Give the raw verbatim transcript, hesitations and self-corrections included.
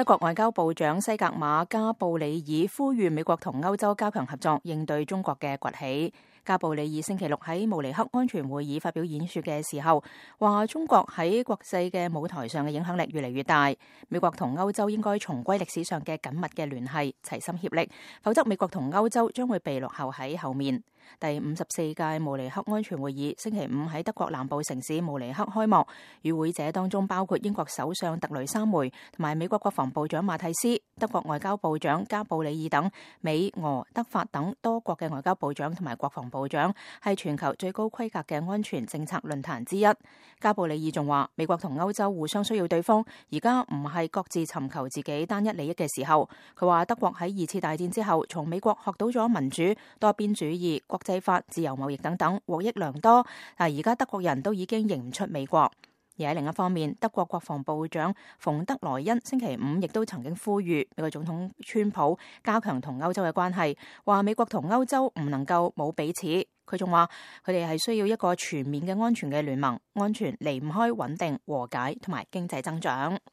德國外交部長西格瑪加布里爾呼籲美國同歐洲加強合作，應對中國嘅崛起。加布里爾星期六喺慕尼黑安全會議發表演說嘅時候，話中國喺國際嘅舞台上嘅影響力越嚟越大，美國同歐洲應該重歸歷史上嘅緊密嘅聯繫，齊心協力，否則美國同歐洲將會被落後喺後面。第五十四屆慕尼黑安全會議星期五喺德國南部城市慕尼黑開幕，與會者當中包括英國首相特雷莎梅同埋美國國防部長馬蒂斯、德國外交部長加布里爾等美、俄、德、法等多國嘅外交部長同埋國防部長，係全球最高規格嘅安全政策論壇之一。加布里爾仲話，美國同歐洲互相需要對方，而家唔係各自尋求自己單一利益嘅時候。佢話德國喺二次大戰之後，從美國學到咗民主、多邊主義、國際法、自由貿易等等，獲益良多。但而家德國人都已經認唔出美國。而喺另一方面，德國國防部長馮德萊恩星期五亦都曾經呼籲美國總統川普加強同歐洲嘅關係，話美國同歐洲唔能夠冇彼此。佢仲話佢哋係需要一個全面嘅安全嘅聯盟，安全離唔開穩定、和解同埋經濟增長。